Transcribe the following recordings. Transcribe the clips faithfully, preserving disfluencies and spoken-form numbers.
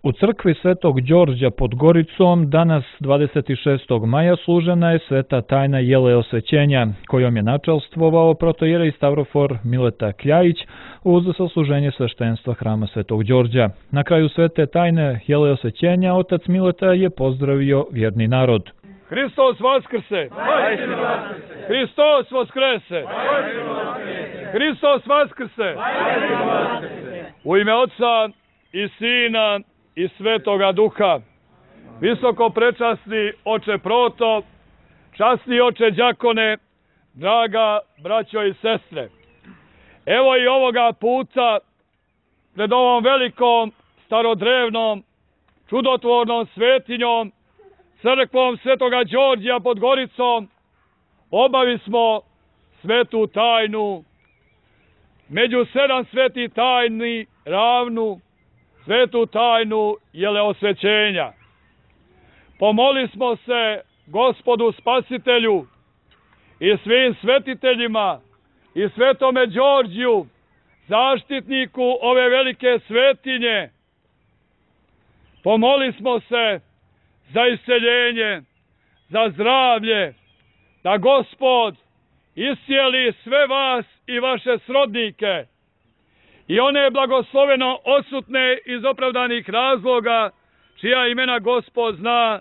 U crkvi Svetog Đorđa pod Goricom danas dvadeset šestog maja služena je sveta tajna jeleosvećenja, kojom je načelstvovao protoijerej Stavrofor Mileta Kljajić uz sasluženje sveštenstva hrama Svetog Đorđa. Na kraju svete tajne jeleosvećenja otac Mileta je pozdravio vjerni narod. Hristos vaskrse! Hristos vaskrese! Hristos vaskrse! U ime Otca i Sina i Svetoga Duha, visoko prečasni oče Proto, časni oče đakone, draga braćo i sestre. Evo i ovoga puta pred ovom velikom, starodrevnom, čudotvornom svetinjom, crkvom Svetoga Đorđa pod Goricom, obavi smo svetu tajnu, među sedam svetih tajni ravnu, svetu tajnu jeleosvećenja. Pomoli smo se Gospodu Spasitelju i svim svetiteljima i Svetome Đorđiju, zaštitniku ove velike svetinje. Pomoli smo se za isceljenje, za zdravlje, da Gospod iscijeli sve vas i vaše srodnike i one blagosloveno odsutne iz opravdanih razloga, čija imena Gospod zna,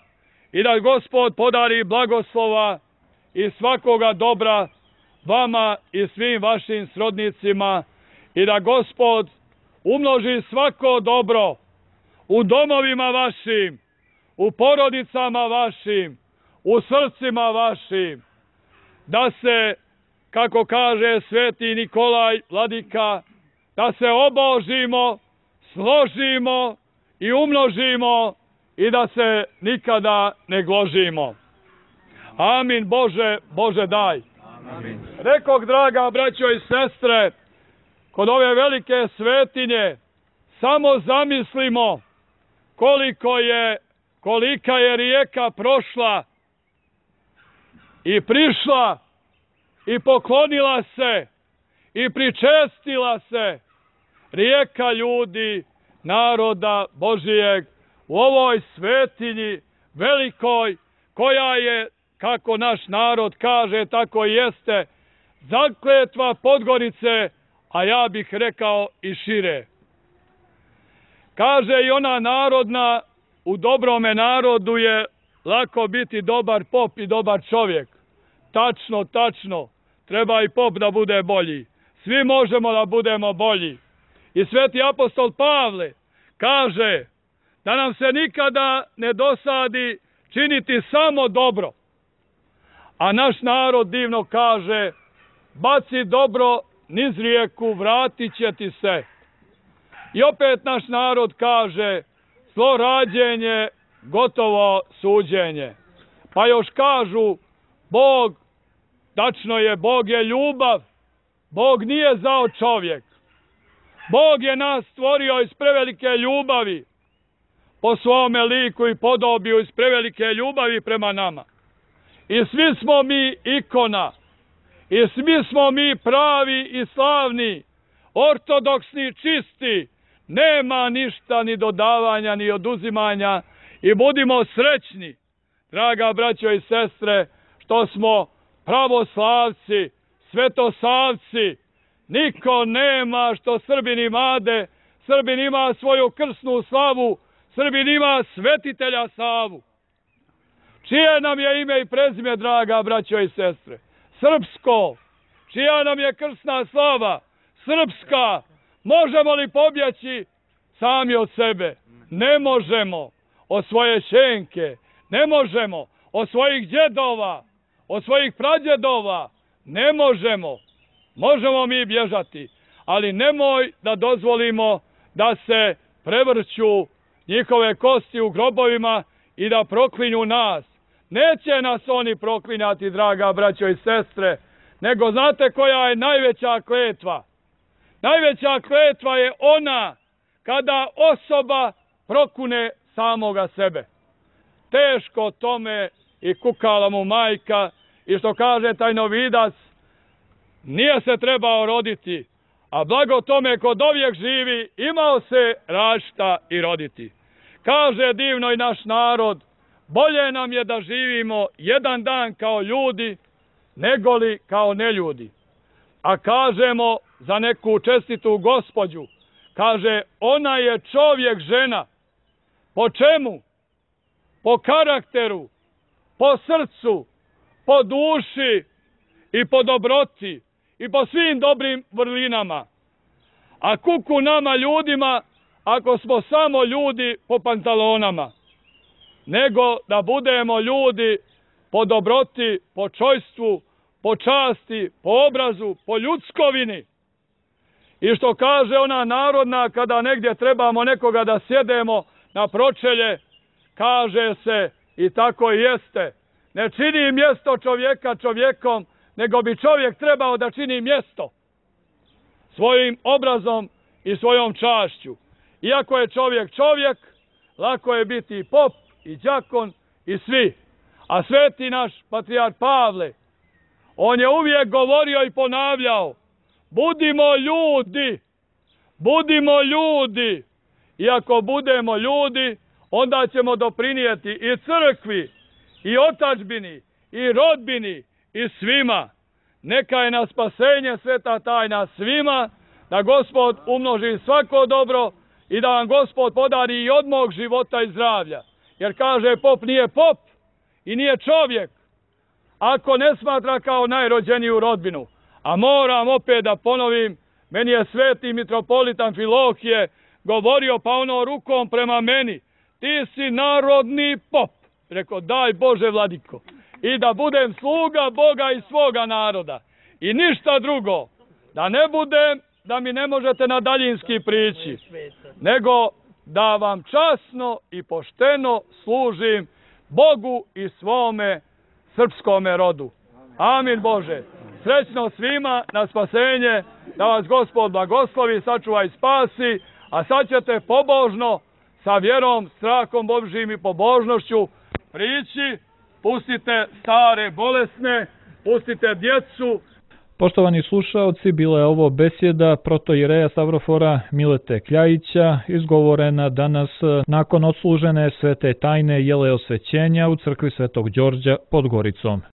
i da Gospod podari blagoslova i svakoga dobra vama i svim vašim srodnicima, i da Gospod umnoži svako dobro u domovima vašim, u porodicama vašim, u srcima vašim, da se, kako kaže sveti Nikolaj Vladika, da se obožimo, složimo i umnožimo i da se nikada ne gložimo. Amin. Bože, Bože daj. Amin. Rekog, draga braćo i sestre, kod ove velike svetinje samo zamislimo koliko je, kolika je rijeka prošla i prišla i poklonila se i pričestila se, rijeka ljudi, naroda Božijeg, u ovoj svetinji velikoj, koja je, kako naš narod kaže, tako i jeste, zakletva Podgorice, a ja bih rekao i šire. Kaže i ona narodna, u dobrome narodu je lako biti dobar pop i dobar čovjek. Tačno, tačno, treba i pop da bude bolji. Svi možemo da budemo bolji. I sveti apostol Pavle kaže da nam se nikada ne dosadi činiti samo dobro. A naš narod divno kaže, baci dobro niz rijeku, vratit će ti se. I opet naš narod kaže, zlo rađenje, gotovo suđenje. Pa još kažu, Bog, tačno je, Bog je ljubav, Bog nije zao čovjek. Bog je nas stvorio iz prevelike ljubavi, po svome liku i podobiju, iz prevelike ljubavi prema nama. I svi smo mi ikona, i svi smo mi pravi i slavni, ortodoksni, čisti, nema ništa ni dodavanja ni oduzimanja, i budimo srećni, draga braćo i sestre, što smo pravoslavci, svetosavci. Niko nema što Srbin imade, Srbin ima svoju krsnu slavu, Srbin ima svetitelja Savu. Čije nam je ime i prezime, draga braćo i sestre? Srpsko. Čija nam je krsna slava? Srpska. Možemo li pobjeći sami od sebe? Ne možemo. Od svoje šenke. Ne možemo. Od svojih djedova. Od svojih pradjedova. Ne možemo. Možemo mi bježati, ali nemoj da dozvolimo da se prevrću njihove kosti u grobovima i da proklinju nas. Neće nas oni proklinjati, draga braćo i sestre, nego znate koja je najveća kletva? Najveća kletva je ona kada osoba prokune samoga sebe. Teško tome i kukala mu majka, i što kaže tajnovidac, nije se trebao roditi, a blago tome kod ovijek živi, imao se rašta i roditi. Kaže divno i naš narod, bolje nam je da živimo jedan dan kao ljudi, negoli kao neljudi. A kažemo za neku čestitu gospođu, kaže, ona je čovjek žena. Po čemu? Po karakteru, po srcu, po duši i po dobroti i po svim dobrim vrlinama. A kuku nama ljudima ako smo samo ljudi po pantalonama, nego da budemo ljudi po dobroti, po čojstvu, po časti, po obrazu, po ljudskovini. I što kaže ona narodna, kada negdje trebamo nekoga da sjedemo na pročelje, kaže se i tako i jeste. Ne čini mjesto čovjeka čovjekom, nego bi čovjek trebao da čini mjesto svojim obrazom i svojom čašću. Iako je čovjek čovjek, lako je biti i pop, i đakon, i svi. A sveti naš patrijarh Pavle, on je uvijek govorio i ponavljao, budimo ljudi, budimo ljudi. I ako budemo ljudi, onda ćemo doprinijeti i crkvi, i otadžbini, i rodbini, i svima. Neka je na spasenje sveta tajna svima, da Gospod umnoži svako dobro i da vam Gospod podari i od mog života i zdravlja. Jer kaže, pop nije pop i nije čovjek ako ne smatra kao najrođeniju rodbinu. A moram opet da ponovim, meni je sveti mitropolit Amfilohije govorio pa ono rukom prema meni, ti si narodni pop. Rekao, daj Bože vladiko, i da budem sluga Boga i svoga naroda. I ništa drugo, da ne budem, da mi ne možete na daljinski prići, nego da vam časno i pošteno služim Bogu i svome srpskome rodu. Amin Bože. Srećno svima na spasenje, da vas Gospod blagoslovi, sačuva i spasi, a sad ćete pobožno, sa vjerom, strahom Božjim i pobožnošću prići, pustite stare bolesne, pustite djecu. Poštovani slušaoci, bila je ovo besjeda protoijereja Stavrofora Milete Kljajića, izgovorena danas nakon odslužene svete tajne jele osvećenja u crkvi Svetog Đorđa pod Goricom.